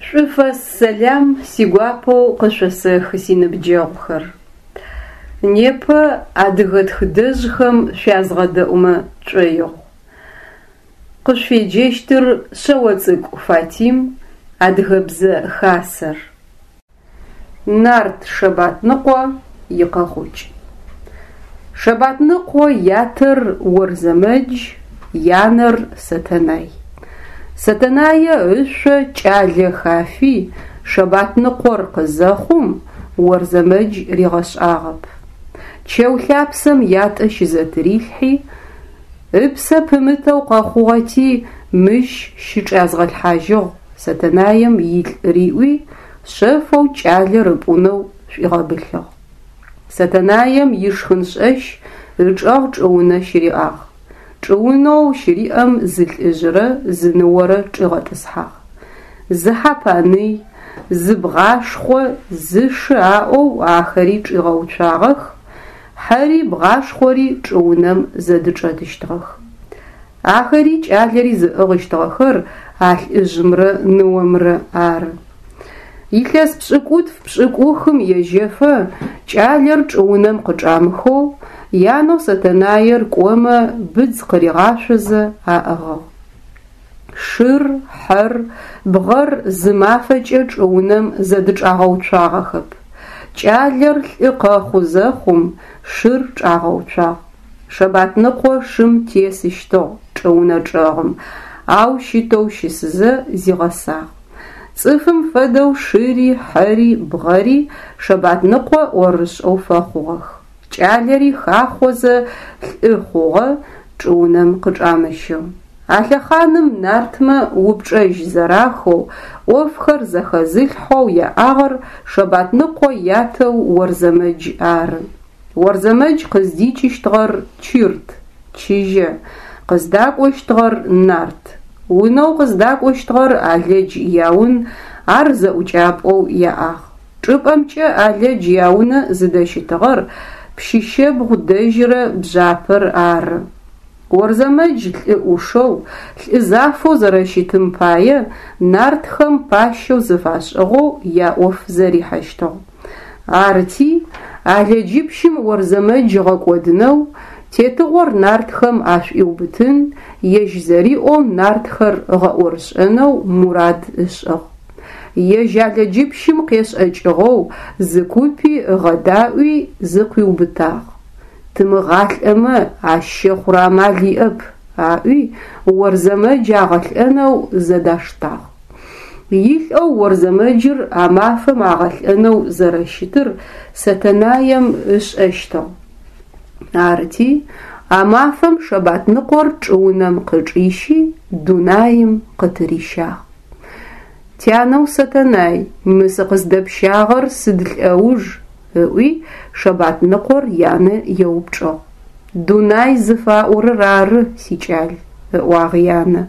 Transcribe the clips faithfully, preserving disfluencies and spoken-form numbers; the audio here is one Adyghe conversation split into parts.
Шӏуфэс сэлам сигуапэу къышъосэхы синыбджэгъухэр. Непэ адыгэ тхыдэжъхэм шъуязгъэдэӏумэ тшӏоигъу. Къышъуфеджэщтыр Шъэоцӏыкӏу Фатим, Адыгэбзэ Хасэр. Нарт Шэбатныкъо икъэхъукӏ. Шэбатныкъо ятэр Орзэмэдж, янэр Сэтэнай. Сэтэнае ышъо кӏалэ хафи Шэбатныкъор къызэхъум Орзэмэдж ригъэшӏагъэп. Чэу лъапсэм ятӏэ щызэтырилъхьи, ыпсэ пымытэу къэхъугъэти мыщ щычӏязгъэлъхьажьыгъ Сэтэнэем илӏ риӏуи, шъэфэу кӏалэр ыпӏунэу шӏуигъэбылъыгъ. Сэтэнэем ишхын-шӏэщ ычӏэгъ чӏыунэ щыриӏагъ. Чӏыунэу щыриӏэм зы лӏыжъырэ зы ныорэ чӏигъэтӏысхьагъ. Зы хьэ паный, зы бгъашхъо, зы шы аӏоу ахэри чӏигъэуцуагъэх, хьэри бгъашхъори чӏыунэм зэдычӏэтыщтыгъэх. Ахэри кӏалэри зыӏыгъыщтыгъэхэр а лӏыжъымрэ ныомрэ ары. Илъэс пшӏыкӏутф-пшӏыкӏухым ежьэфэ кӏалэр чӏыунэм къычӏамыхэу, янэу Сэтэнэер кӏомэ быдз къыригъашъозэ аӏыгъыгъ. Шыр, хьэр, бгъэр зы мафэкӏэ чӏыунэм зэдычӏагъэуцуагъэхэп. Кӏалэр лӏы къэхъу зэхъум шыр чӏагъэуцуагъ. Шэбатныкъо шым тесыщтыгъ чӏыунэ чӏэгъым, ау щытэу щысызэ зигъэсагъ. Цӏыфым фэдэу шыри, хьэри, бгъэри Шэбатныкъо ӏорышӏэу фэхъугъэх. Кӏалэри хахъозэ лӏы хъугъэ, чӏыунэм къычӏамыщэу. А лъэхъаным нартмэ упчӏэжь зэрахэу, ӏофхэр зэхэзылъхьэу яӏагъэр Шэбатныкъо ятэу Орзэмэдж ары. Орзэмэдж къыздикӏыщтыгъэр Чырт, чыжьэ, къыздакӏощтыгъэр нарт. Унэу къыздакӏощтыгъэр Алэдж яун, ар зэӏукӏапӏэу яӏагъ. Чӏыпӏэмкӏэ Алэдж яунэ зыдэщытыгъэр Пщыщэбгъу дэжьырэ бжъапэр ары. Орзэмэдж лӏы ӏушэу, лӏы зафэу зэрэщытым пае нартхэм пащэу зыфашӏыгъэу яӏоф зэрихьэщтыгъ. Арыти, Алэджыпщым Орзэмэдж ыгъэкӏодынэу, тетыгъор нартхэм ашӏуиубытын, ежь зэриӏоу нартхэр ыгъэӏорышӏэнэу мурад ышӏыгъ. Ежь Алэджыпщым къешӏэкӏыгъэу зы купи ыгъэдаӏуи зыкъуиубытагъ. Тымыгъалӏэмэ ащ щэхъурэ амал иӏэп, аӏуи Орзэмэдж агъэлӏэнэу зэдаштагъ. Илӏэу Орзэмэджыр а мафэм агъэлӏэнэу зэрэщытыр Сэтэнэем ышӏэщтыгъ. Арыти, а мафэм Шэбатныкъор чӏыунэм къычӏищи дунаим къытырищагъ. Тянэу Сэтэнай, мы сыкъыздэпщагъэр сыд лӏэуж? Ыӏуи Шэбатныкъор янэ еупчӏыгъ. Дунай зыфаӏорэр ары, сикӏал, ыӏуагъ янэ.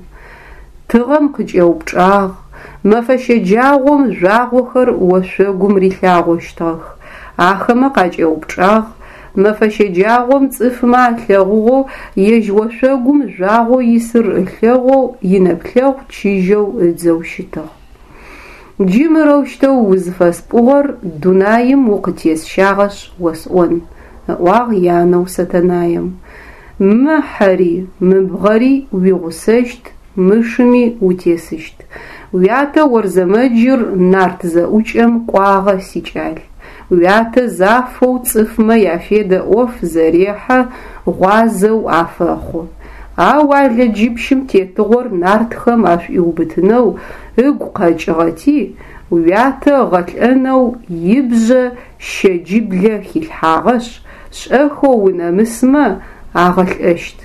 Тыгъэм къыкӏэупчӏагъ, мэфэ щэджагъом жъуагъохэр ошъогум рилъагъощтыгъэх, ахэмэ къакӏэупчӏагъ, мэфэ щэджагъом цӏыфмэ алъэгъугъэу ежь ошъогум жъуагъоу исыр ылъэгъоу инэплъэгъу чыжьэу ыдзэу щытыгъ. Джы мырэущтэу узыфэспӏугъэр дунаим укъытесщагъэшъ осӏон, ыӏуагъ янэу Сэтэнэем. Мы хьэри, мы бгъэри уигъусэщт, мы шыми утесыщт. Уятэ Орзэмэджыр нарт зэӏукӏэм кӏуагъэ, сикӏал. Уятэ зафэу цӏыфмэ яфедэ ӏоф зэрехьэ, гъуазэу афэхъу. Ау Алэджыпщым тетыгъор нартхэм ашӏуиубытынэу ыгу къэкӏыгъэти, уятэ ыгъэлӏэнэу ибжъэ щэджиблэ хилъхьагъэшъ, шӏэхэу унэмысмэ агъэлӏэщт.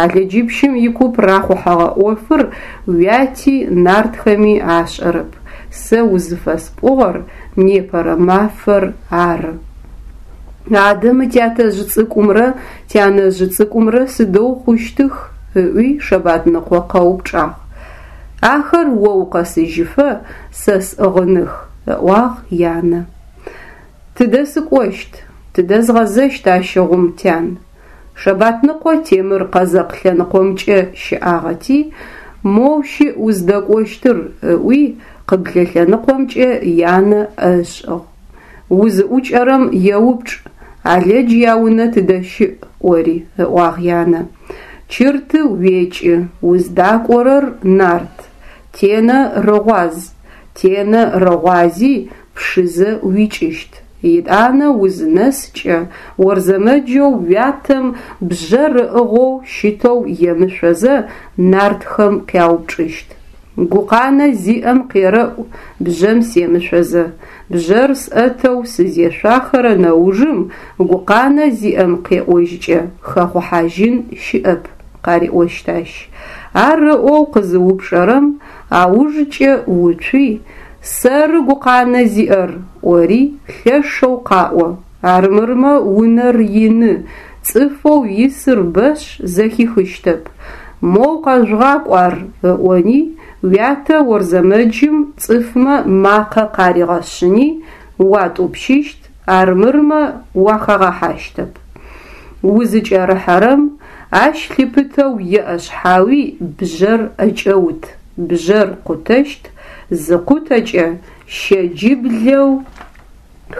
Алэджыпщым икуп рахъухьэгъэ ӏофыр уяти нартхэми ашӏэрэп. Сэ узыфэспӏугъэр непэрэ мафэр ары. Адэ мы тятэжъ цӏыкӏумрэ тянэжъ цӏыкӏумрэ сыдэу хъущтых? Ыӏуи Шэбатныкъо къэупчӏагъ. Ахэр о укъэсыжьыфэ сэ сӏыгъыных, ыӏуагъ янэ. Тыдэ сыкӏощт, тыдэ згъэзэщт ащыгъум, тян? Шэбатныкъо темыр къэзэкъ лъэныкъомкӏэ щыӏагъэти, Моу щыӏ уздэкӏощтыр, ыӏуи къыблэ лъэныкъомкӏэ янэ ӏэ ышӏыгъ. Узыӏукӏэрэм еупчӏ: Алэдж яунэ тыдэ щыӏ? ӏори, ыӏуагъ янэ. Чырты уекӏы, уздакӏорэр нарт, Тенэ рыгъуаз, Тенэ рыгъуази Пшызэ уикӏыщт. Етӏанэ узынэскӏэ, Орзэмэджэу уятэм бжъэр ыӏыгъэу щытэу емышъозэ нартхэм къяупчӏыщт: Гукъанэ зиӏэм къерэӏу бжъэм семышъозэ, бжъэр сӏэтэу сызешъуахэрэ нэужым гукъанэ зиӏэм къеӏожькӏэ хэхъухьажьын щыӏэп, къариӏощт ащ. Ар ыӏоу къызыупчӏэрэм аужкӏэ уцуи, сэры гукъанэ зиӏэр ӏори лъэшэу къаӏо, армырмэ унэр ины, цӏыфэу исыр бэшъ зэхихыщтэп, моу къэжъугъакӏу ар ыӏони, уятэ Орзэмэджым цӏыфмэ макъэ къаригъэшъыни уатӏупщыщт, армырмэ уахагъэхьащтэп. Узыкӏэрыхьэрэм, ащ лъыпытэу еӏэшъхьауи бжъэр ӏэкӏэут, бжъэр къутэщт, зыкъутэкӏэ щэджиблэу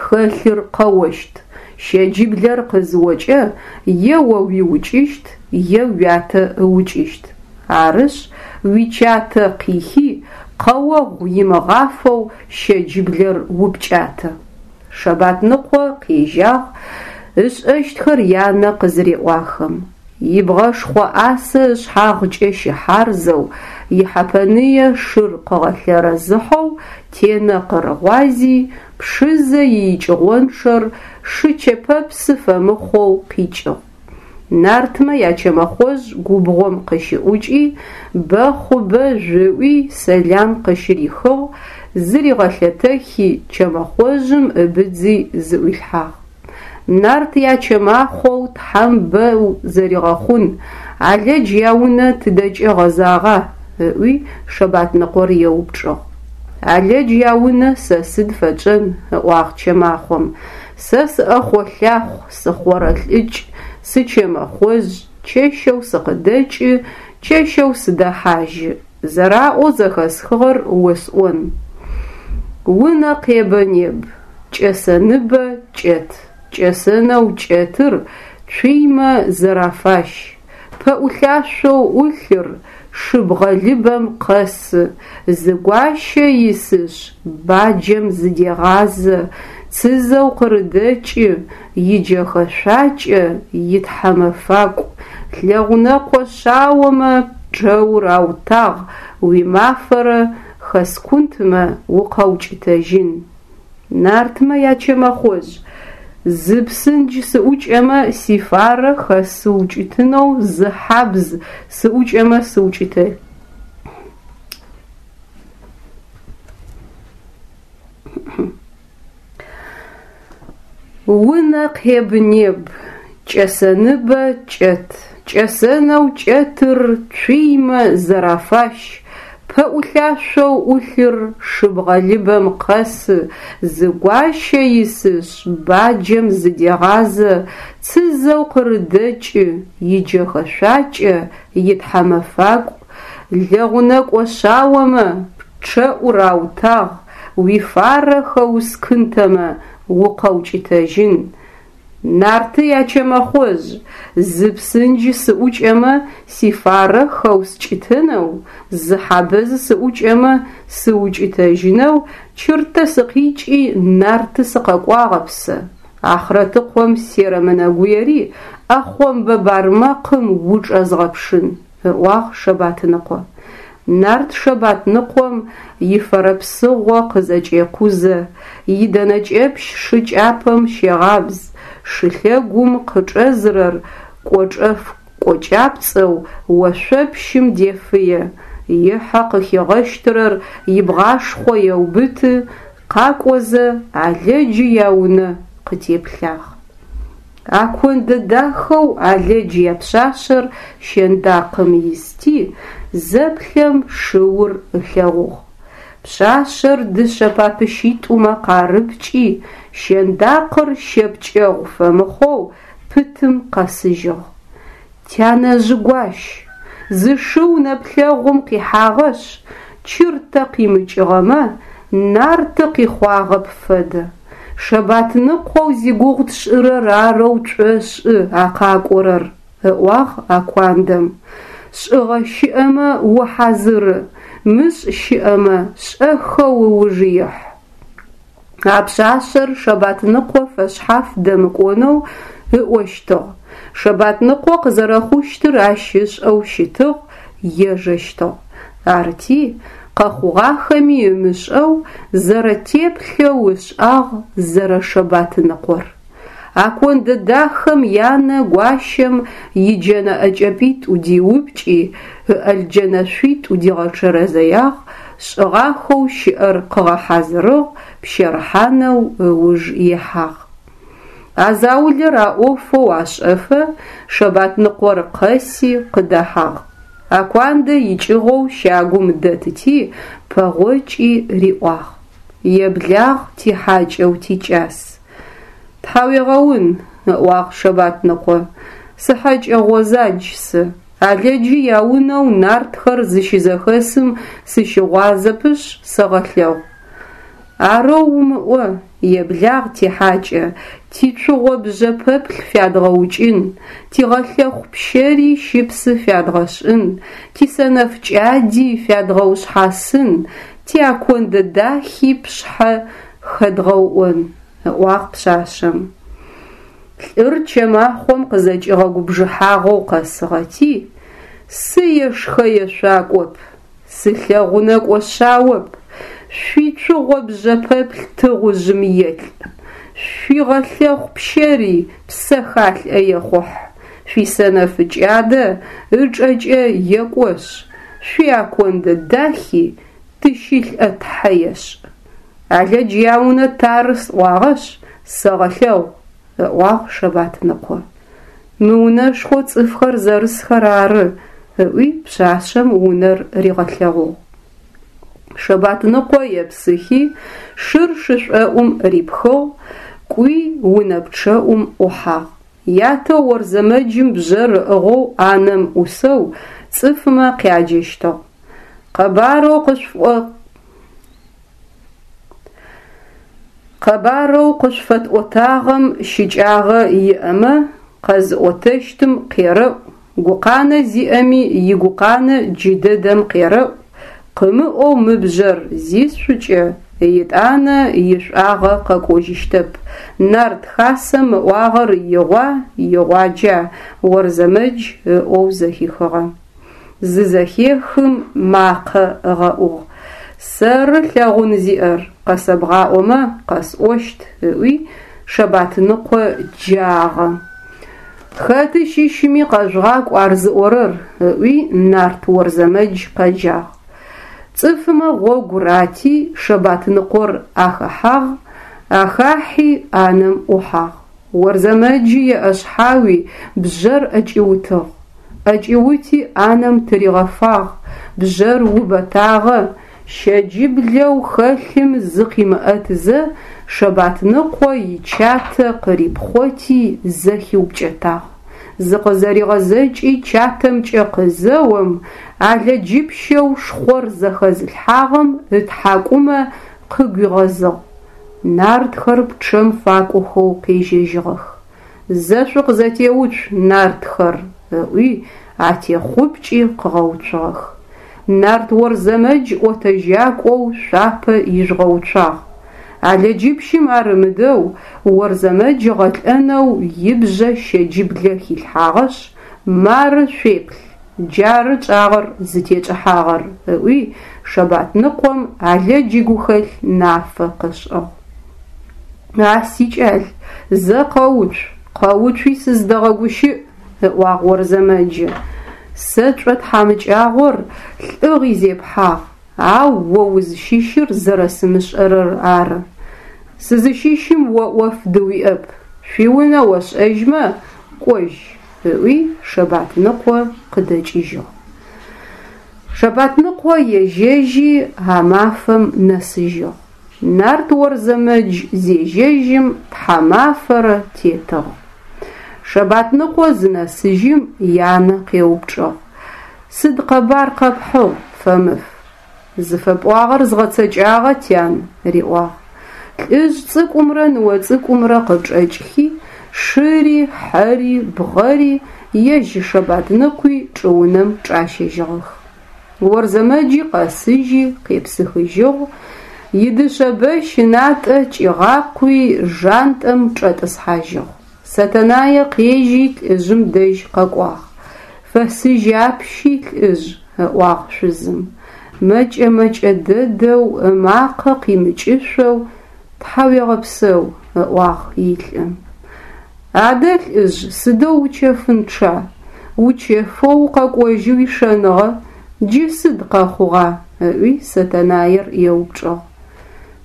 хэлъыр къэощт, щэджиблэр къызыокӏэ е о уиукӏыщт, е уятэ ыукӏыщт. Арышъ, уичатэ къихи, къэогъу имыгъафэу щэджиблэр упкӏатэ. Шэбатныкъо къежьагъ ышӏэщтхэр янэ къызыреӏуахэм. Ибгъэшхъо ӏасэ ышъхьагъкӏэ щыхьарзэу, ихьэпэные шыр къыгъэлъэрэзыхьэу Тенэ къырыгъуази, Пшызэ иикӏыгъончъэр шы чэпэпсы фэмыхъоу къикӏыгъ. Нартмэ ячэмэхъожъ губгъом къыщыӏукӏи, бэхъу-бэжъу ыӏуи сэлам къыщырихыгъ, зыригъэлъэтэхи чэмэхъожъым ыбыдзи зыӏуилъхьагъ. Нарт ячэмахъоу тхьэм бэ узэригъэхъун, Алэдж яунэ тыдэкӏэ гъэзагъа? Ыӏуи Шэбатныкъор еупчӏыгъ. Алэдж яунэ сэ сыд фэтшӏэн, ыӏуагъ чэмахъом. Сэ сыӏэхъо-лъахъу, сыхъорэлӏыкӏ, сычэмэхъожъ, чэщэу сыкъыдэкӏы, чэщэу сыдэхьажьы. Зэраӏоу зэхэсхыгъэр осӏон. Унэ къебэ-неб, кӏэсэныбэ кӏэт, кӏэсэнэу кӏэтыр цуймэ зэрафащ, пэӏулъашъоу ӏулъыр шы бгъэлыбэм къэсы, зы гуащэ исышъ, баджэм зыдегъазэ, цызэу къырыдэкӏы, иджэхэшъуакӏэ итхьэмэфакӏу, лэгъунэкъо шъаомэ пчъэур аутагъ, уимафэрэ хэскунтымэ укъэукӏытэжьын. Нартмэ ячэмэхъожъ, зы псындж сыӏукӏэмэ сифарэ хэсыукӏытэнэу зы хьабз сыӏукӏэмэ сыукӏытэ. Унэ къеб-неб, кӏэсэныбэ кӏэт, кӏэсэнэу кӏэтыр цуймэ зэрафащ, пэӏулъашъоу ӏулъыр шы бгъэлыбэм къэсы, зы гуащэ исышъ, баджэм зыдегъазэ, цызэу къырыдэкӏы, иджэхэшъуакӏэ итхьэмэфакӏу, лэгъунэкӏо шъаомэ пчъэӏур аутагъ, уифарэ хэускынтэмэ укъэукӏытэжьын. Нарты ячэмэхъожъ, зы псындж сыӏукӏэмэ сифарэ хэускӏытэнэу, зы хьабэз сыӏукӏэмэ сыукӏытэжьынэу чыртэ сыкъикӏи нарты сыкъэкӏуагъэп сэ. Ахърэтыкъом серэмынэгуери ӏэхъомбэ бармэкъым учӏэзгъэпшын, ыӏуагъ Шэбатныкъо. Нарт Шэбатныкъом ифэрэпсыгъо къызэкӏекъузэ, идэнэкӏэпщ шы кӏапэм щегъабз, шылъэгум къычӏэзырэр кӏочӏэф кӏочӏапцӏэу ошъопщым дефые, ихьэ къыхигъэщтырэр ибгъашхъо еубыты, къакӏозэ Алэджы яунэ къытеплъагъ. Акондэ дахэу Алэдж япшъашъэр щэндакъым исти, зэплъэм шыур ылъэгъугъ. Пшъашъэр дышъэ папыщитӏумэ къарыпкӏи, щэндакъыр щэ пкӏэгъу фэмыхъоу пытым къэсыжьыгъ. Тянэжъы гуащ, Зы шыу нэплъэгъум къихьагъэшъ, чыртэ къимыкӏыгъэмэ, нарты къихъуагъэп фэдэ. Шэбатныкъоу зигугъу тшӏырэр арэу тшӏошӏы а къакӏорэр, ыӏуагъ Акуандэм. Шӏыгъэ щыӏэмэ ухьазыры, мышӏ щыӏэмэ шӏэхэу ыуж ихь. А пшъашъэр Шэбатныкъо фэшъхьаф дэмыкӏонэу ыӏощтыгъ. Шэбатныкъо къызэрэхъущтыр ащ ышӏэу щытыгъ, ежэщтыгъ. Арти, къэхъугъахэми ымышӏэу, зэрэтеплъэу ышӏагъ зэрэ-Шэбатныкъор. Акондэ дахэм янэ гуащэм иджэнэ ӏэкӏэпитӏу диупкӏи, ыӏэлджэнэшъуитӏу дигъэчэрэзыягъ, шӏыгъахэу щыӏэр къыгъэхьазырыгъ, пщэрыхьанэу ыуж ихьагъ. А заулэр а ӏофэу ашӏэфэ Шэбатныкъор къэси къыдэхьагъ. Акуандэ икӏыгъэу щагум дэтыти, пэгъокӏи риӏуагъ: Еблагъ, тихьакӏэу тикӏас. Тхьауегъэун, ыӏуагъ Шэбатныкъо, сыхьэкӏэ гъозадж сэ, ӏалэджы яунэу нартхэр зыщызэхэсым сыщыгъуазэпышъ сэгъэлъэгъу. Арэу умыӏо, еблагъ тихьакӏэ, тицугъо бжъэпэплъ фядгъэукӏын, тигъэлъэхъу пщэри щыпсы фядгъэшӏын, тисэнэф кӏади фядгъэушъхьасын, тиакондэ дахи пшъхьэ хэдгъэуӏон, ыӏуагъ пшъашъэм. Лӏыр чэмахъом къызэкӏигъэгубжыхьагъэу къэсыгъэти, сы ешхэ-ешъуакӏоп, сылъэгъунэкӏо шъаоп, шъуицугъо бжъэпэплъ тыгъужъым елӏ, шъуигъэлъэхъу пщэри псэхалӏэ ехъухь, шъуисэнэф кӏадэ ычӏэкӏэ екӏошъ, шъуиакондэ дахи тыщылӏэ тхьэ ешӏ. ӏалэдж яунэ тары сӏуагъэшъ, сэгъэлъэгъу, ыӏуагъ Шэбатныкъо. Мы унэшхоу цӏыфхэр зэрысхэр ары, ыӏуи пшъашъэм унэр ригъэлъэгъугъ. Шэбатныкъо епсыхи, шыр шышӏоӏум рипхыгъ, кӏуи унэ пчъэӏум ӏухьагъ. Ятэу Орзэмэджым бжъэр ыӏыгъэу ӏанэм ӏусэу цӏыфмэ къяджэщтыгъ. Къэбарэу къышъуфӏо Къэбарэу къышъуфэтӏотагъэм щыкӏагъэ иӏэмэ, къэзыӏотэщтым къерэӏу, гукъанэ зиӏэми игукъанэ джыдэдэм къерэӏу, къымыӏоу мы бжъэр зисшъукӏэ, етӏанэ ишӏуагъэ къэкӏожьыщтэп. Нарт хасэм ыӏуагъэр игъуа, игъуаджа Орзэмэдж ыӏоу зэхихыгъэ. Зызэхехым макъэ ыгъэӏугъ: Сэры лъэгъун зиӏэр, къэсэбгъаӏомэ къэсӏощт, ыӏуи Шэбатныкъо джагъэ. Хэты щыщми къэжъугъакӏу ар зыӏорэр, ыӏуи нарт Орзэмэдж къэджагъ. Цӏыфмэ гъогу рати, Шэбатныкъор ахэхьагъ, ахахьи ӏанэм ӏухьагъ. Орзэмэджы еӏэшъхьауи бжъэр ӏэкӏиутыгъ. ӏэкӏиути ӏанэм тыригъэфагъ, бжъэр убэтагъэ, щэджыблэу хэлъым зыкъимыӏэтызэ Шэбатныкъо ичатэ къырипхъоти зэхиупкӏэтагъ. Зыкъызэригъэзэкӏи чатэмкӏэ къызэом, ӏалэджыпщэу шхъор зэхэзылъхьагъэм ытхьакӏумэ къыгуигъэзыгъ. Нартхэр пчъэм факӏохэу къежьэжьыгъэх. Зэ шъукъызэтеуцу, нартхэр, ыӏуи атехъупкӏи къыгъэуцугъэх. Нарт Орзэмэдж ӏотэжьакӏоу шъуапэ ижъугъэуцуагъ. ӏалэджыпщым ар ымыдэу Орзэмэдж ыгъэлӏэнэу ибжъэ щэджыблэ хилъхьагъэшъ, мары шъуеплъ, джары чӏагъэр зытекӏыхьагъэр, ыӏуи Шэбатныкъом ӏалэдж игухэлъ нафэ къышӏыгъ. А сикӏал, зэ къэуцу, къэуцуи сыздэгъэгущыӏ, ыӏуагъ Орзэмэджы. Сэ тшӏотхьамыкӏагъор лӏыгъи зепхьагъ, ау о узыщыщыр зэрэсымышӏэрэр ары. Сызыщыщым о ӏоф дыуиӏэп, шъуиунэ ошӏэжьмэ, кӏожь, ыӏуи Шэбатныкъо къыдэкӏыжьыгъ. Шэбатныкъо ежьэжьи а мафэм нэсыжьыгъ. Нарт Орзэмэдж зежьэжьым тхьамафэрэ тетыгъ. Шэбатныкъо зынэсыжьым янэ къеупчӏыгъ: Сыд къэбар къэпхьыгъ, фэмыф? ЗыфэпӀуагъэр згъэцэкӀагъэ, тян, риӀуагъ. ЛӀыжъ цӀыкӀумрэ ныо цӀыкӀумрэ къычӀэкӀхи, шыри, хьэри, бгъэри, ежь Шэбатныкъуи чӀыунэм чӀащэжьыгъэх. Орзэмэджи къэсыжьи къепсыхыжьыгъ, идышъэ бэщ ынатӀэ кӀигъакъуи жантӀэм чӀэтӀысхьажьыгъ. Сэтэнае къежьи лӀыжъым дэжь къэкӀуагъ. Фэсыжь апщи, лӀыжъ, ыӀуагъ шъузым. МэкӀэ-мэкӀэ дэдэу ымакъэ къимыкӀышъоу тхьауегъэпсэу, ыӀуагъ илӀы. Адэ, лӀыжъ, сыдэу учэфынчъа? Учэфэу укъэкӀожьы уишэныгъэ, джы сыд къэхъугъа? ыӀуи Сэтэнаер еупчӀыгъ.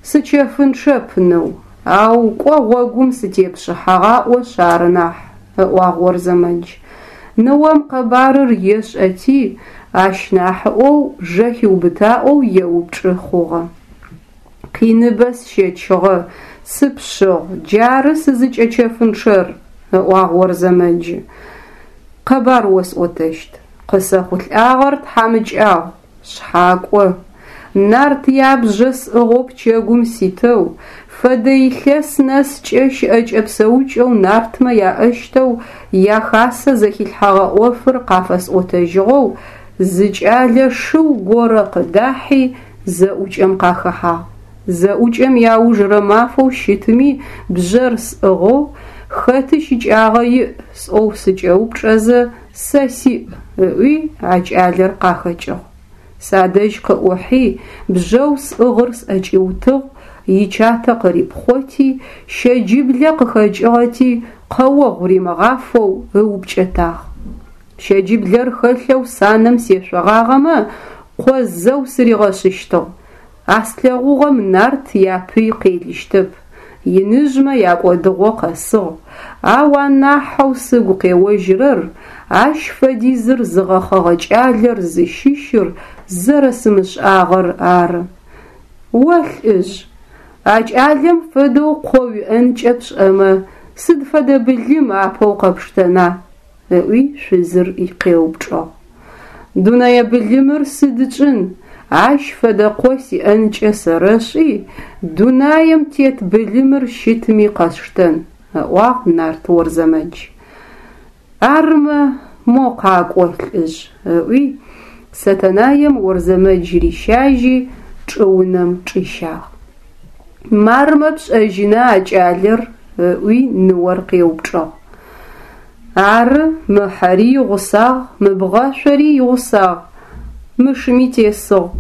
Сычэфынчъэп, ныу, ау кӀо гъогум сытепшъыхьагъаӀошъ ары нахь, ыӀуагъ Орзэмэдж. Ныом къэбарыр ешӀэти, ащ нахьыӀоу жэхиубытаӀоу еупчӀы хъугъэ. Къиныбэ сщэчыгъэ, сыпшъыгъ, джары сызыкӀэчэфынчъэр, ыӀуагъ Орзэмэджы. Къэбар осӀотэщт. КъысэхъулӀагъэр тхьамыкӀагъу, шъхьакӀо. Нарт ябжьэ сӀыгъэу пчэгум ситэу, фэдэ илъэс нэскӀэ щыӀэкӀэ-псэукӀэу нартмэ яӀэщтэу яхасэ зэхилъхьэгъэ Ӏофыр къафэсӀотэжьыгъэу зы кӀалэ шыу горэ къыдахьи зэӀукӀэм къахэхьагъ. ЗэӀукӀэм иаужрэ мафэу щытми бжьэр сӀыгъэу, хэты щыкӀагъэ иӀ сӀоу сыкӀэупчӀэзэ, сэ сиӀ ыӀуи а кӀалэр къахэкӀыгъ. Садэжь къыӀухьи бжьэу сӀыгъыр сӀэкӀиутыгъ, ичатэ къырипхъоти, щэджыблэ къыхэкӀыгъэти къэогъу римыгъафэу ыупкӀэтагъ. Щэджыблэр хэлъэу санэм сешъогъагъэмэ, къо зэу сыригъэшӀыщтыгъ. А слъэгъугъэм нарт япый къелыщтэп, иныжъмэ якӀодыгъо къэсыгъ, ау анахьэу сыгу къеожьырэр ащ фэдизыр зыгъэхъэгъэ кӀалэр зыщыщыр зэрэсымышӀагъэр ары. О лӀыжъ, а кӀалэм фэдэу къо уиӀэнкӀэ пшӀэмэ, сыд фэдэ былым апэу къэпштэна? ыӀуи шъузыр къеупчӀыгъ. Дунэе былымыр сыд ытшӀын, ащ фэдэ къо сиӀэнкӀэ сэрэшӀи, дунаем тет былымыр щытми къэсштэн, ыӀуагъ нарт Орзэмэдж. Армэ, мо къакӀо, лӀыжъ, ыӀуи Сэтэнаем Орзэмэдж рищажьи чӀыунэм чӀищагъ. Мармэ пшӀэжьына а кӀалэр? ыӀуи ныор къеупчӀыгъ. Ары, мы хьэри игъусагъ, мы бгъэшъори игъусагъ, мы шыми тесыгъ,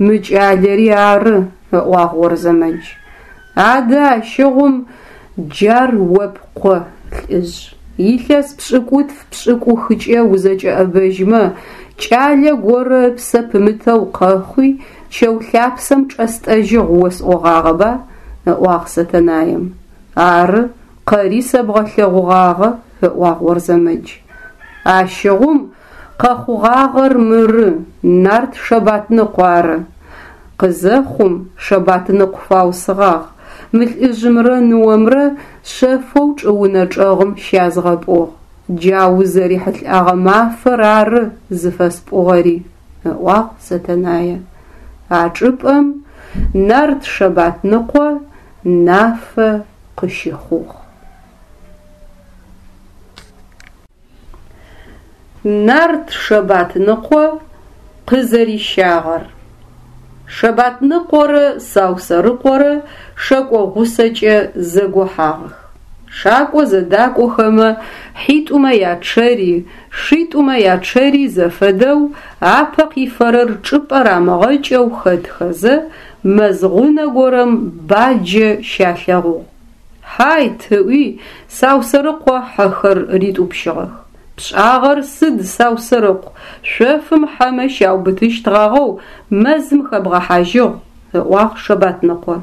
мы кӀалэри ары, ыӀуагъ Орзэмэдж. Адэ ащыгъум джар о пкъо, лӀыжъ. Илъэс пшӀыкӀутф-пшӀыкӀухыкӀэ узэкӀэӀэбэжьмэ, кӀалэ горэ ыпсэ пымытэу къэхъуи чэу лъапсэм чӀэстӀэжьыгъ осӀогъагъэба? ыӀуагъ Сэтэнаем. Ары, къэри сэбгъэлъэгъугъагъэ, ыӀуагъ Орзэмэдж. Ащыгъум къэхъугъагъэр мыры, нарт Шэбатныкъу ары. Къызэхъум Шэбатныкъу фаусыгъагъ, мы лӀыжъымрэ ныомрэ шъэфэу чӀыунэ чӀэгъым щязгъэпӀугъ. Джа узэрихьылӀагъэ мафэр ары зыфэспӀугъэри, ыӀуагъ Сэтэнае. А чӀыпӀэм нарт Шэбатныкъо нафэ къыщыхъугъ. Нарт Шэбатныкъо къызэрищагъэр. Шэбатныкъорэ Саусэрыкъорэ шэкӀо гъусэкӀэ зэгохьагъэх. ШакӀо зэдакӀохэмэ, хьитӀумэ ячъэри, шитӀумэ ячъэри зэфэдэу, апэ къифэрэр чӀыпӀэ рамыгъэкӀэу хэтхэзэ, мэз гъунэ горэм баджэ щалъэгъугъ. Хьайт, ыӀуи Саусэрыкъо хьэхэр ритӀупщыгъэх. ПшӀагъэр сыд, Саусэрыкъу, шъофым хьэмэ щаубытыщтгъагъэу мэзым хэбгъэхьажьыгъ, ыӀуагъ Шэбатныкъо.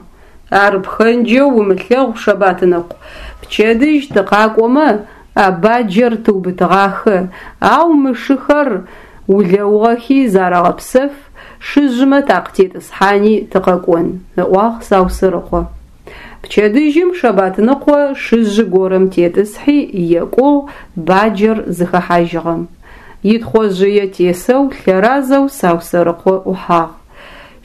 Ар пхэнджэу умылъэгъу, Шэбатныкъу, пчэдыжь тыкъакӀомэ, а баджэр тыубытыгъахэ, ау мы шыхэр улэугъэхи зарэгъэпсэф, шыжъымэ такъытетӀысхьани тыкъэкӀон, ыӀуагъ Саусэрыкъо. Пчэдыжьым Шэбатныкъо шыжъы горэм тетӀысхьи екӀугъ баджэр зыхэхьажьыгъэм. Итхъожъые тесэу лъэразэу Саусэрыкъо ӏухьагъ.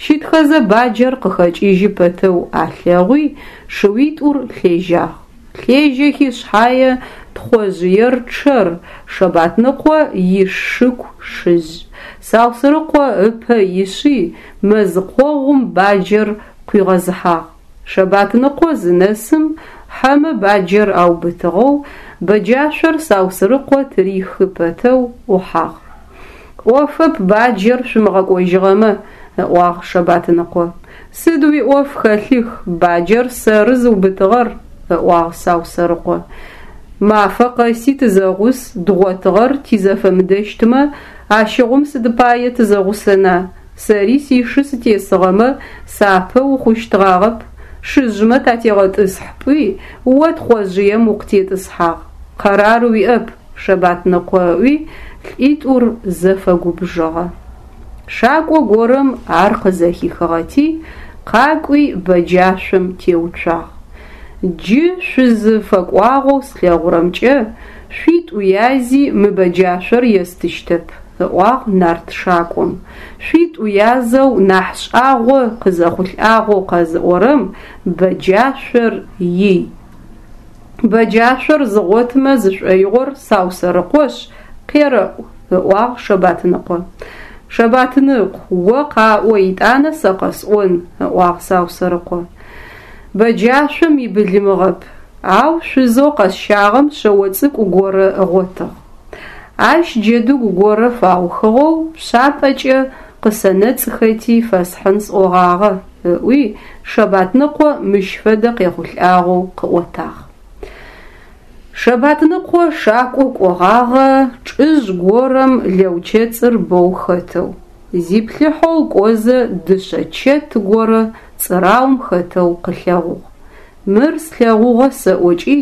Щытхэзэ баджэр къыхэкӏыжьы пэтэу алъэгъуи шыуитӏур лъежьагъ. Лъежьэхи шъхьае, Тхъожъыер чъэр, Шэбатныкъо иш шыку шыжъ. Саусэрыкъо ыпэ ишъи мэз къогъум баджэр къуигъэзыхьагъ. Шэбатныкъо зынэсым хьэмэ баджэр аубытыгъэу, бэджашъор Саусэрыкъо тырихы пэтэу ӏухьагъ. Ӏофэп баджэр шъумыгъэкӏожьыгъэмэ, ыӏуагъ Шэбатныкъо. Сыд уиӏоф хэлъых, баджэр сэры зыубытыгъэр, ыӏуагъ Саусэрыкъо. Мафэ къэси тызэгъус, дгъотыгъэр тизэфэмыдэщтмэ, ащыгъум сыд пае тызэгъусэна? Сэри сишы сытесыгъэмэ, сапэ ухъущтгъагъэп. Шыжъмэ татегъэтӏысхь пӏуи, о Тхъожъыем укъытетӏысхьагъ. Къэрар уиӏэп, Шэбатныкъо ыӏуи, лӏитӏур зэфэгубжыгъэ. Шакӏо горэм ар къызэхихыгъэти, къакӏуи бэджашъом теуцуагъ. Джы шъузыфэкӏуагъэу слъэгъурэмкӏэ, шъуитӏу язи мы бэджашъор естыщтэп, ыӏуагъ нарт шакӏом. Шъуитӏу язэу нахь шӏагъо къызэхъулӏагъэу къэзыӏорэм бэджашъор ий. Бэджашъор зыгъотымэ зышӏоигъор Саусэрыкъошъ, къерэӏу, ыӏуагъ Шэбатныкъо. Шэбатныкъу, о къаӏо, етӏанэ сэ къэсӏон, ыӏуагъ Саусэрыкъо. Бэджашъом ибылымыгъэп, ау шъузэу къэсщагъэм шъэо цӏыкӏу горэ ыгъотыгъ. Ащ джэдыгу горэ фаухыгъэу пшъапӏэкӏэ къысэнэцӏхэти фэсхьын сӏогъагъэ, ыӏуи Шэбатныкъо мыщ фэдэ къехъулӏагъэу къыӏотагъ. Шэбатныкъо шакӏо кӏогъагъэ чӏыжъ горэм лэучэцӏыр боу хэтэу. Зиплъыхьэу кӏозэ дышъэ чэт горэ цӏыраум хэтэу къылъэгъугъ. Мыр слъэгъугъэ сэӏокӏи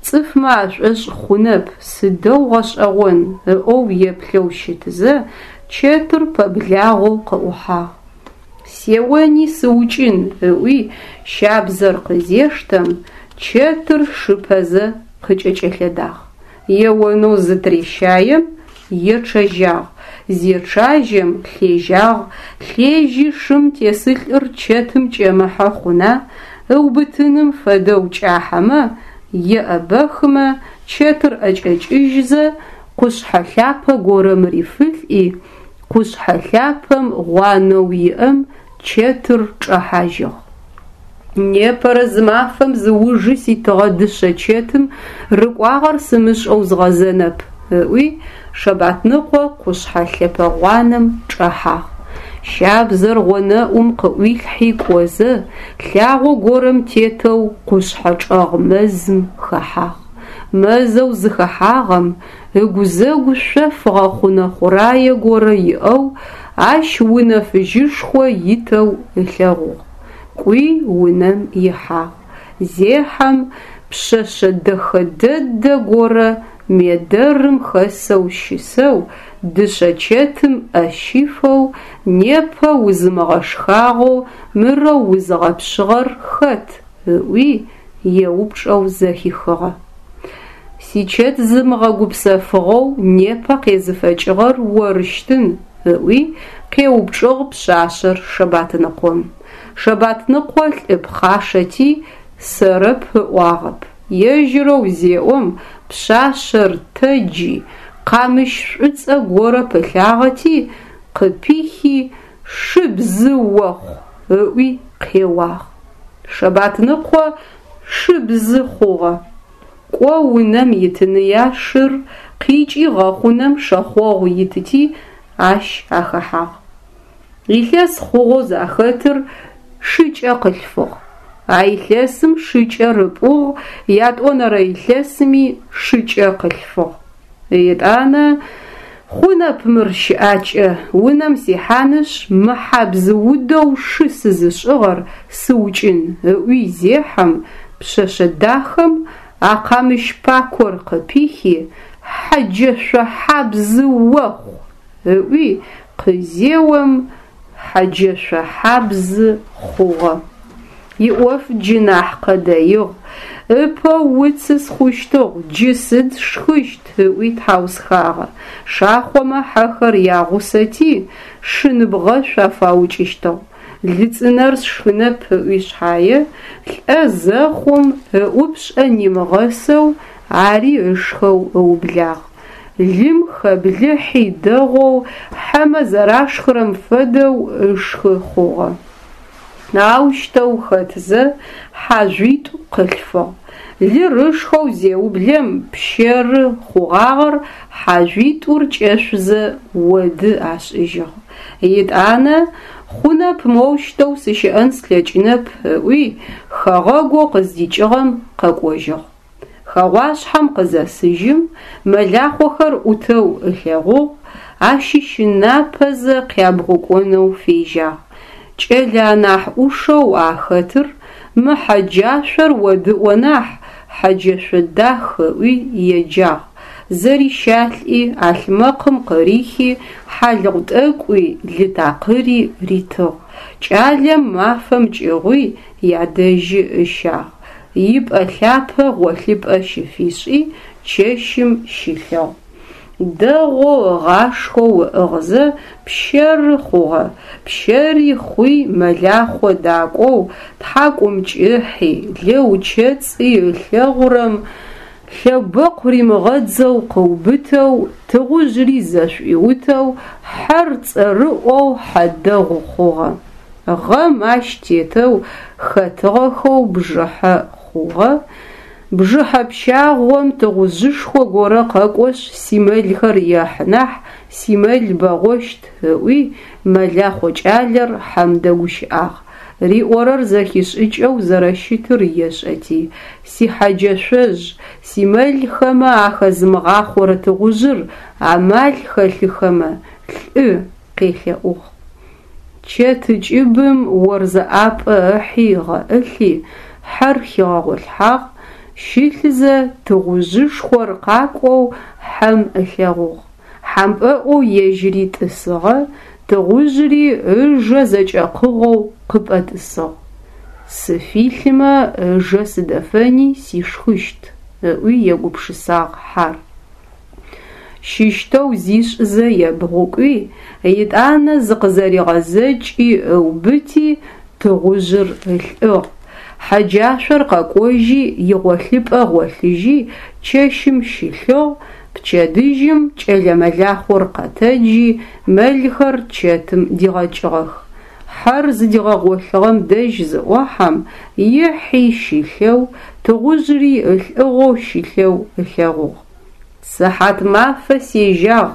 цӏыфмэ ашӏошъ хъунэп, сыдэу гъэшӏэгъон, ыӏоу еплъэу щытызэ, чэтыр пэблагъэу къыӏухьагъ. Сеони сыукӏын, ыӏуи щабзэр къызештэм, чэтыр шыпэзэ къыкӏэкӏэлъэдагъ. Еонэу зытырещаем, ечъэжьагъ, зечъажьэм лъежьагъ, лъежьи шым тесылӏыр чэтым кӏэмыхьэ хъуна, ыубытыным фэдэу кӏахьэмэ, еӏэбэхымэ, чэтыр ӏэкӏэкӏыжьзэ къушъхьэ лъапэ горэм рифылӏи, къушъхьэ лъапэм гъуанэу иӏэм чэтыр чӏэхьажьыгъ. Непэрэ зымафэм зыужы ситыгъэ дышъэ чэтым рыкӏуагъэр сымышӏэу згъэзэнэп, ыӏуи Шэбатныкъо къушъхьэ лъэпэ гъуанэм чӏэхьагъ. Щабзэр гъонэӏум къыӏуилъхьи кӏозэ, лъагъо горэм тетэу къушъхьэ чӏэгъ мэзым хэхьагъ. Мэзэу зыхэхьагъэм ыгузэгу шъоф гъэхъунэ хъурае горэ иӏэу, ащ унэ фыжьышхо итэу ылъэгъугъ. Кӏуи унэм ихьагъ. Зехьэм пшъэшъэ дэхэ дэдэ горэ медэрым хэсэу щысэу, дышъэ чэтым ӏэ щифэу, непэ узымыгъэшхагъэу мырэу узыгъэпшъыгъэр хэт? Ыӏуи еупчӏэу зэхихыгъэ. Сичэт зымыгъэгупсэфыгъэу непэ къезыфэкӏыгъэр орыщтын, ыӏуи къеупчӏыгъ пшъашъэр Шэбатныкъом. Шэбатныкъо лӏы пхъашэти сэрэп ыӏуагъэп. Ежьырэу зеӏом, пшъашъэр тэджи, къамыщ шӏуцӏэ горэ пылъагъэти, къыпихи, шыбзы охъу ыӏуи къеуагъ. Шэбатныкъо шыбзы хъугъэ. Кӏо унэм итыныя шыр, къикӏи гъэхъунэм шэхъогъу итыти, ащ ахэхьагъ. Илъэс хъугъэу захэтыр шыкӏэ къылъфыгъ. А илъэсым шыкӏэр ыпӏугъ, ятӏонэрэ илъэсми шыкӏэ къылъфыгъ. Етӏанэ хъунэп мыр щыӏакӏэ, унэм сихьанышъ, мы хьабз-удэу шы сызышӏыгъэр сыукӏын, ыӏуи зехьэм, пшъэшъэ дахэм а къамыщ пакор къыпихи, хьэджэшъо хьабзы охъу! Ыӏуи къызеом, хьэджэшъо хьабзы хъугъэ. Иӏоф джы нахь къэдэигъ. Ыпэ уцы схъущтыгъ, джы сыд сшхыщт? ыӏуи тхьаусхагъэ. Шахъомэ хьэхэр ягъусэти, шын бгъэшъу афаукӏыщтыгъ. Лы цӏынэр сшхынэп ыӏуи шъхьае, лӏэ зэхъум ыӏупшӏэ нимыгъэсэу ари ышхэу ыублагъ. Лым хэблыхьи дэгъоу, хьэмэ зэрашхырэм фэдэу ышхы хъугъэ. Аущтэу хэтзэ хьажъуитӏу къылъфыгъ. Лыр ышхэу зеублэм пщэры хъугъагъэр хьажъуитӏур кӏэшъузэ оды ашӏыжьыгъ. Етӏанэ хъунэп моущтэу сыщыӏэн слъэкӏынэп ыӏуи, хэгъэгоу къыздикӏыгъэм къэкӏожьыгъ. Хэгъуашъхьэм къызэсыжьым, мэлахъохэр ӏутэу ылъэгъугъ, ащыщынапэзэ къябгъукӏонэу фежьагъ. Кӏэлэ анахь ӏушэу ахэтыр мы хьэ джашъор одыӏо нахь, хьэ джэшъо дах ыӏуи еджагъ, зэрищалӏи, ӏалъмэкъым къырихи хьалыгъу тӏэкӏуи лы такъыри ритыгъ. Кӏалэм мафэм кӏыгъуи ядэжьы ыщагъ. Ипӏэ лъапэ гъолъыпӏэ щыфишӏи, чэщым щылъыгъ. Дэгъоу ыгъашхэу ыӏыгъзэ пщэры хъугъэ. Пщэри хъуи мэлахъо дакӏоу, тхьакӏумкӏыхьи, лэучэцӏи ылъэгъурэм лъэбэкъу римыгъэдзэу къыубытэу, тыгъужъри зэшӏуиутэу, хьэр цӏэрыӏоу хьэ дэгъу хъугъэ. Гъэм ащ тетэу хэтыгъэхэу бжыхьэ хъугъэ. Бжыхьэ пщагъом тыгъужъышхо горэ къэкӏошъ симэлхэр ехьы нахь, симэл бэгъощт, ыӏуи мэлахъо кӏалэр хьэм дэгущыӏагъ. Риӏорэр зэхишӏыкӏэу зэрэщытыр ешӏэти: «Сихьэ джэшъожъ, симэлхэмэ ахэзымыгъахъорэ тыгъужъыр амал хэлъыхэмэ, лӏы», къелъэӏугъ. Чэт кӏыбым орзэ ӏапӏэ ыхьи ыгъэӏылъи, хьэр хигъэгъолъхьагъ, щылъзэ тыгъужъышхор къакӏоу хьэм ылъэгъугъ. Хьампӏэӏоу ежьыри тӏысыгъэ, тыгъужъри ыжэ зэкӏэкъыгъэу къыпӏэтӏысыгъ. Сыфилъмэ ыжэ сыдэфэни сишхыщт, ыӏуи егупшысагъ хьар. Щыщтэу зишӏзэ ебгъукӏуи, етӏанэ зыкъызэригъэзэкӏи ыубыти, тыгъужъыр ылӏыгъ. Хьэ джашъор къэкӏожьи игъолъыпӏэ гъолъыжьи чэщым щылъыгъ, пчэдыжьым кӏэлэ мэлахъор къэтэджи мэлхэр чэтым дигъэкӏыгъэх. Хьэр зыдигъэгъолъыгъэм дэжь зыӏохьэм, ихьи щылъэу, тыгъужъри ылӏыгъэу щылъэу ылъэгъугъ. Сыхьат мафэ сежьагъ,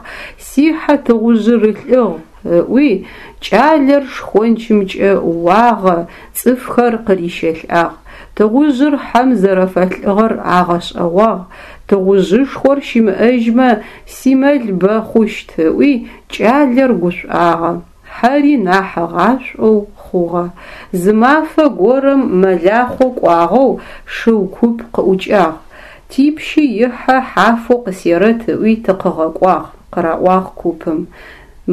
сихьэ тыгъужъыр ылӏыгъ, ыӏуи кӏалэр шхончымкӏэ уагъэ, цӏыфхэр къырищэлӏагъ. Тыгъужъыр хьэм зэрэфэлӏыгъэр агъэшӏэгъуагъ. Тыгъужъышхор щымыӏэжьмэ, симэл бэ хъущт, ыӏуи кӏалэр гушӏуагъэ, хьэри нахь ыгъашӏоу хъугъэ. Зы мафэ горэм мэлахъо кӏуагъэу шыу куп къыӏукӏагъ. Типщы ихьэ хьафэу къысерэт ыӏуи тыкъыгъэкӏуагъ, къыраӏуагъ купым.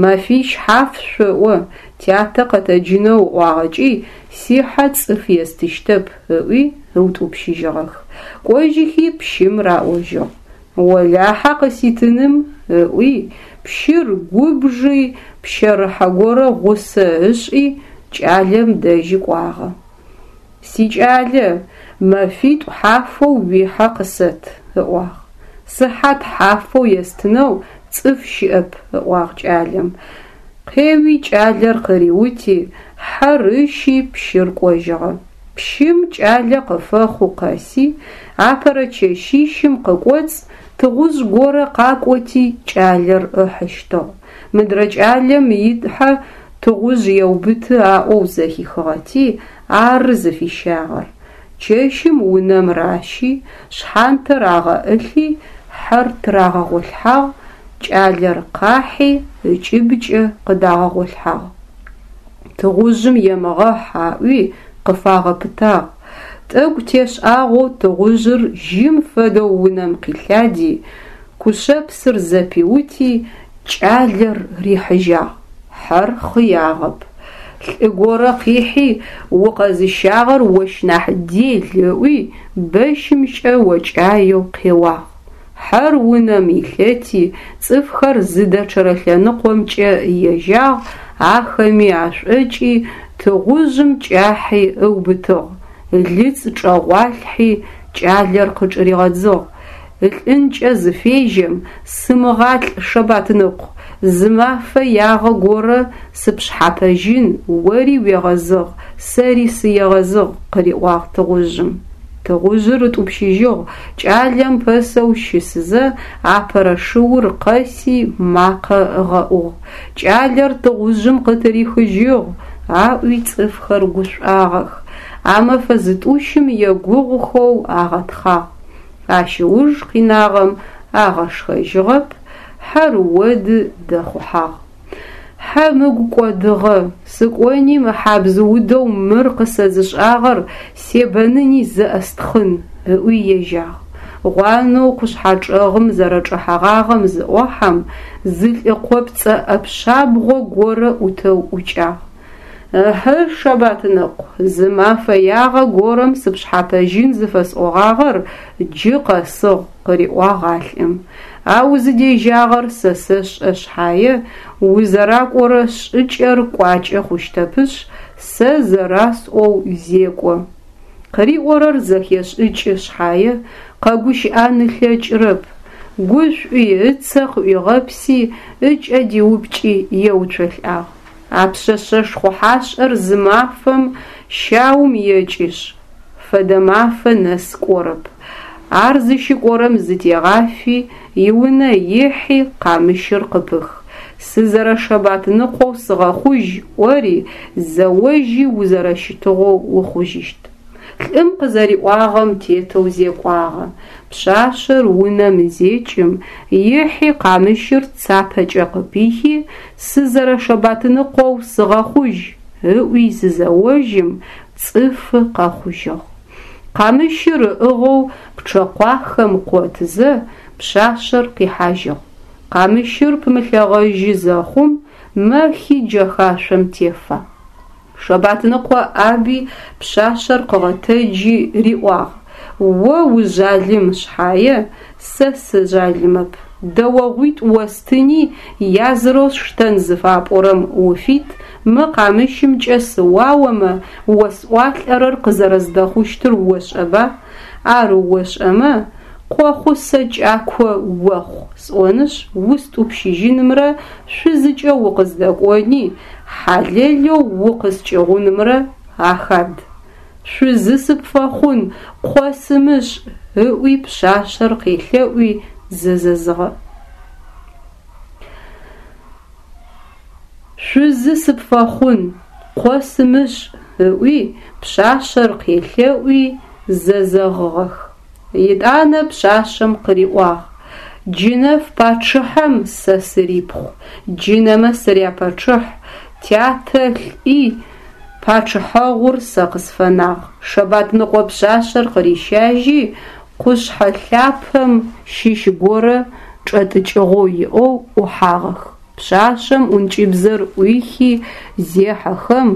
Мэфищ хьаф шъоӏо, тятэ къэтэджынэу ыӏуагъэкӏи, сихьэ цӏыф естыщтэп, ыӏуи ыутӏупщыжьыгъэх. Кӏожьыхи пщым раӏожьыгъ. Олахьэ къыситыным, ыӏуи, пщыр губжи, пщэрыхьэ горэ гъусэ ышӏи, кӏалэм дэжьы кӏуагъэ. Сикӏалэ, мэфитӏу хьафэу уихьэ къысэт, ыӏуагъ. Сыхьат хьафэу естынэу цӏыф щыӏэп, ыӏуагъ кӏалэм. Къеуи кӏалэр къыриути, хьэр ыщи пщыр кӏожьыгъэ. Пщым кӏалэ къыфэхъу къэси, апэрэ чэщищым къыкӏоцӏ тыгъужъ горэ къакӏоти кӏалэр ыхьыщтыгъ. Мыдрэ кӏалэм ихьэ тыгъужъ еубыты аӏоу зэхихыгъэти, ары зыфищагъэр. Чэщым унэм ращи, шъхьантэр агъэӏылъи, хьэр тырагъэгъолъхьагъ, кӏалэр къахьи ыкӏыбкӏэ къыдагъэгъолъхьагъ. Тыгъужъым емыгъэхь аӏуи къыфагъэпытагъ. Тӏэкӏу тешӏагъэу тыгъужъыр жьым фэдэу унэм къилъади, кушъэпсыр зэпиути, кӏалэр рихьыжьагъ. Хьэр хъыягъэп. Лӏы горэ къихьи, укъэзыщагъэр ощ нахь дел ыӏуи, бэщымкӏэ окӏаеу къеуагъ. Хьэр унэм илъэти, цӏыфхэр зыдэчъэрэ лъэныкъомкӏэ ежьагъ, ахэми ашӏокӏи, тыгъужъым кӏахьи ыубытыгъ, лыцӏ чӏэгъуалъхьи, кӏалэр къычӏыригъэдзыгъ. Ылӏынкӏэ зыфежьэм, «Сымыгъалӏ, Шэбатныкъу, зы мафэ ягъэ горэ сыпшъхьапэжьын, ори уегъэзыгъ, сэри сыегъэзыгъ», къыриӏуагъ тыгъужъым. Тыгъужъыр ытӏупщыжьыгъ, кӏалэм пэсэу щысызэ, апэрэ шыур къэси макъэ ыгъэӏугъ: «Кӏалэр тыгъужъым къытырихыжьыгъ!» аӏуи цӏыфхэр гушӏуагъэх. А мэфэ зытӏущым егугъухэу агъэтхъагъ. Ащ ыуж къинагъэм агъэшхэжьыгъэп, хьэр оды дэхъухьагъ. Хьэм ыгу кӏодыгъэ, сыкӏони мы хьабз-удэу мыр къысэзышӏагъэр себэныни зэӏэстхъын, ыӏуи ежьагъ. Гъуанэу къушъхьэ чӏэгъым зэрэчӏэхьэгъагъэм зыӏохьэм, зы лӏы къопцӏэ ӏэпшъабгъо горэ ӏутэу ӏукӏагъ. Ыхьы, Шэбатныкъу, зы мафэ ягъэ горэм сыпшъхьапэжьын зыфэсӏогъагъэр джы къэсыгъ, къыриӏуагъ а лӏым. А узыдежьагъэр сэ сэшӏэ шъхьае, узэракӏорэ шӏыкӏэр кӏуакӏэ хъущтэпышъ, сэ зэрасӏоу зекӏо. Къыриӏорэр зэхешӏыкӏы шъхьае, къэгущыӏэн ылъэкӏырэп. Гушӏуи, ыцэ къыӏуигъэпси, ыкӏэ диупкӏи еуцолӏагъ. А пшъэшъэ шхъухьашӏэр зы мафэм щаум екӏышъ, фэдэ мафэ нэс кӏорэп. Ар зыщыкӏорэм зытегъафи, иунэ ихьи къамыщыр къыпых. Сызэрэ Шэбатныкъоу сыгъэхъужь ӏори, зэожьи узэрэщытыгъэу ухъужьыщт. Лӏым къызэриӏуагъэм тетэу зекӏуагъэ. Пшъашъэр унэм зекӏым, ихьи къамыщыр цапэкӏэ къыпихи, «Сызэрэ Шэбатныкъоу сыгъэхъужь!» ыӏуи зызэожьым, цӏыфы къэхъужьыгъ. Къамыщыр ыӏыгъэу пчъэкъуахэм къотызэ, пшъашъэр къихьажьыгъ. Къамыщыр пымылъэгъэжьы зэхъум, мэхи джэхашъом тефагъ. Шэбатныкъо ӏаби пшъашъэр къыгъэтэджи риӏуагъ: «О ужъалым шъхьае, сэ сыжъалымэп. Дэогъуитӏу остыни, язырэу сштэн зыфапӏорэм уфит, мы къамыщымкӏэ сыуаомэ, осӏуалӏэрэр къызэрэздэхъущтыр ошӏэба? Ар ошӏэмэ, къохъусэ кӏако охъу сӏонышъ устӏупщыжьынымрэ шъузыкӏэ укъыздэкӏони, хьалэлэу укъыскӏыгъунымрэ ахад. Шъузы сыпфэхъун, къо сымышӏ, ыӏуи пшъашъэр къелъэӏуи зэзэзыгъэ. Шъузы сыпфэхъун, къо сымышӏ, ыӏуи пшъашъэр къелъэӏуи зэзэгъыгъэх. Етӏанэ пшъашъэм къыриӏуагъ: Джынэф пачъыхьэм сэ сырипхъу, джынэмэ сыряпачъыхь, тятэ лӏи пачъыхьэгъур сэ къысфэнагъ. Шэбатныкъо пшъашъэр къырищажьи, къушъхьэ лъапэм щыщ горэ чӏэтӏыкӏыгъэу иӏэу ӏухьагъэх. Пшъашъэм ӏункӏыбзэр ӏуихи зехьэхэм,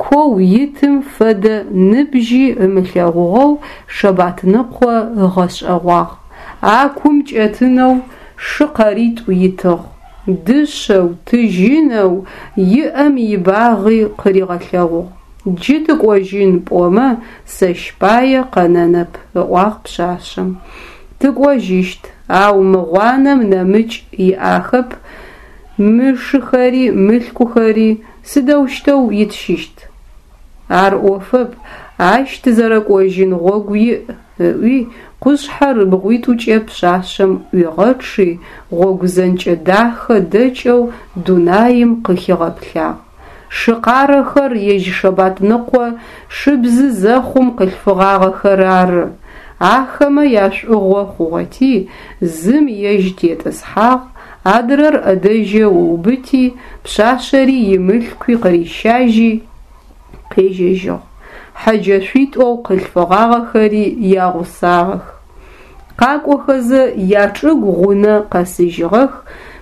коу итым фэдэ ныбжьи ымылъэгъугъэу Шэбатныкъо ыгъэшӏэгъуагъ. А кум кӏэтынэу шы къэритӏу итыгъ. Дышъэу, тыжьынэу иӏэм ибагъи къыригъэлъэгъугъ. Джы тыкӏожьын пӏомэ, сэщ пае къэнэнэп, ыӏуагъ пшъашъэм. Тыкӏожьыщт, ау мы гъуанэм нэмыкӏ иӏахэп, мы шыхэри мылъкухэри сыдэущтэу итщыщт? Ар ӏофэп, ащ тызэрэкӏожьын гъогу иӏ, ыӏуи къушъхьэр ыбгъуитӏукӏэ пшъашъэм ӏуигъэчъи, гъогу зэнкӏэ дахэ дэкӏэу дунаим къыхигъэплъагъ. Шы къарэхэр ежь Шэбатныкъо шыбзы зэхъум къылъфыгъагъэхэр ары. Ахэмэ яшӏугъо хъугъэти, зым ежь тетӏысхьагъ, адрэр ӏэдэжьэу ыубыти, пшъашъэри имылъкуи къырищажьи къежьэжьыгъ. Хьэджэшъуитӏоу къылъфыгъагъэхэри ягъусагъэх. Къакӏохэзэ ячӏыгу гъунэ къэсыжьыгъэх,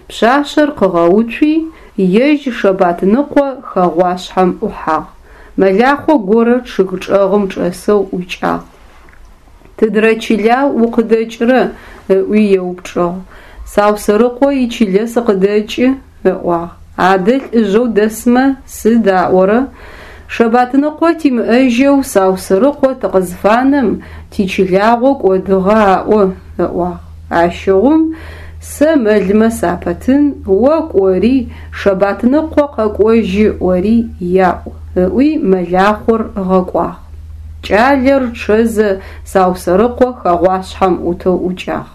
пшъашъэр къыгъэуцуи, Ежь Шэбатныкъо хэгъуашъхьэм ӏухьагъ. Мэлахъо горэ чъыг чӏэгъым чӏэсэу ӏукӏагъ. Тыдрэ чыла укъыдэкӏрэ? ыӏуи еупчӏыгъ. Саусэрыкъо ичылэ сыкъыдэкӏы, ыӏуагъ. Адэ лӏыжъэу дэсмэ сыд аӏорэ? Шэбатныкъо тимыӏэжьэу Саусэрыкъо тыкъызфанэм тичылагъо кӏодыгъэ аӏо, ыӏуагъ. Ащыгъум сэ мэлмэ сапэтын, о кӏори Шэбатныкъо къэкӏожьы ӏори яӏу, ыӏуи мэлахъор ыгъэкӏуагъ. Кӏалэр чъэзэ Саусэрыкъо хэгъуашъхьэм ӏутэу ӏукӏагъ.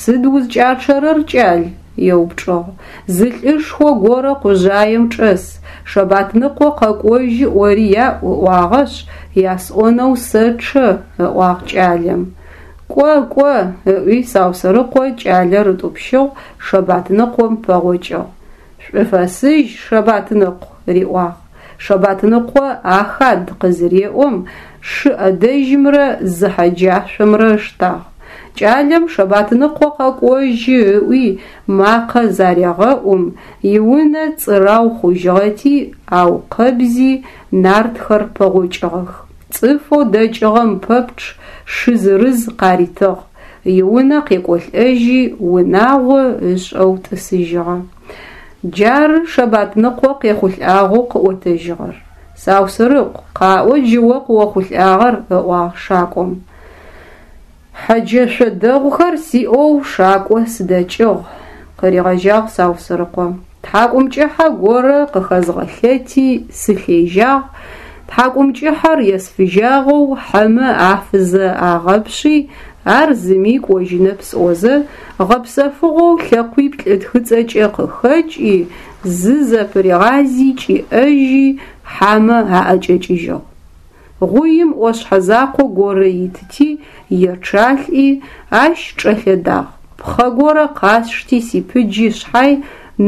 Сыд узкӏачъэрэр, кӏал? еупчӏыгъ. Зы лӏышхо горэ къужъаем чӏэс, Шэбатныкъо къэкӏожьы ӏори яӏу ыӏуагъэшъ, ясӏонэу сэчъэ, ыӏуагъ кӏалэм. Кӏо, кӏо, ыӏуи Саусэрыкъо кӏалэр ытӏупщыгъ, Шэбатныкъом пэгъокӏыгъ. Шӏуфэсыжь, Шэбатныкъу, риӏуагъ. Шэбатныкъо ахад къызыреӏом, шы ӏэдэжьымрэ зы хьэджашъомрэ ыштагъ. Кӏалэм Шэбатныкъо къэкӏожьы ыӏуи макъэ зарегъэӏум, иунэ цӏырау хъужьыгъэти аукъэбзи нартхэр пэгъокӏыгъэх. Цӏыфэу дэкӏыгъэм пэпчъ шы зырыз къаритыгъ. Иунэ къекӏолӏэжьи унагъо ышӏэу тӏысыжьыгъэ. Джары Шэбатныкъо къехъулӏагъэу къыӏотэжьыгъэр. Саусырыкъу, къаӏо джы о къыохъулӏагъэр, ыӏуагъ шакӏом. Хьэджэшъо дэгъухэр сиӏэу шакӏо сыдэкӏыгъ, къыригъэжьагъ Саусырыкъо. Тхьакӏумкӏыхьэ горэ къыхэзгъэлъэти сылъежьагъ, тхьакӏумкӏыхьэр есфыжьагъэу хьэмэ афызэ агъэпшъи, ар зыми кӏожьынэп сӏозэ, гъэпсэфыгъоу лъэкъуиплӏ ытхыцӏэкӏэ къыхэкӏи, зызэпыригъази кӏиӏэжьи хьамэ аӏэкӏэкӏыжьыгъ. Гъуим ӏошъхьэ закъо горэ итти, ечъалӏи, ащ чӏэлъэдагъ. Пхъэ горэ къасшти сипыджи шъхьай,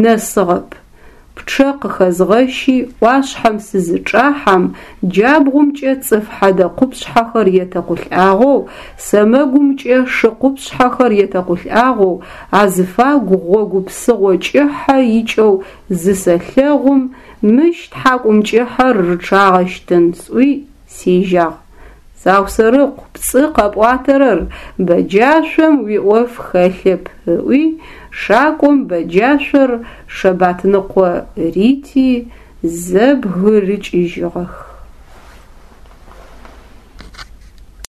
нэсыгъэп. Пчъэ къыхэзгъэщи ӏуашъхьэм сызычӏахьэм, джабгъумкӏэ цӏыф хьэдэ къупшъхьэхэр етэкъулӏагъэу, сэмэгумкӏэ шы къупшъхьэхэр етэкъулӏагъэу, азыфагу гъогу псыгъо кӏыхьэ икӏэу зысэлъэгъум, мыщ тхьакӏумкӏыхьэр рычъагъэщтын сӏуи сежьагъ. Саусэрыкъу, пцӏы къэпӏуатэрэр, бэджашъом уиӏоф хэлъэп, ыӏуи шакӏом бэджашъор Шэбатныкъо рити, зэбгырыкӏыжьыгъэх.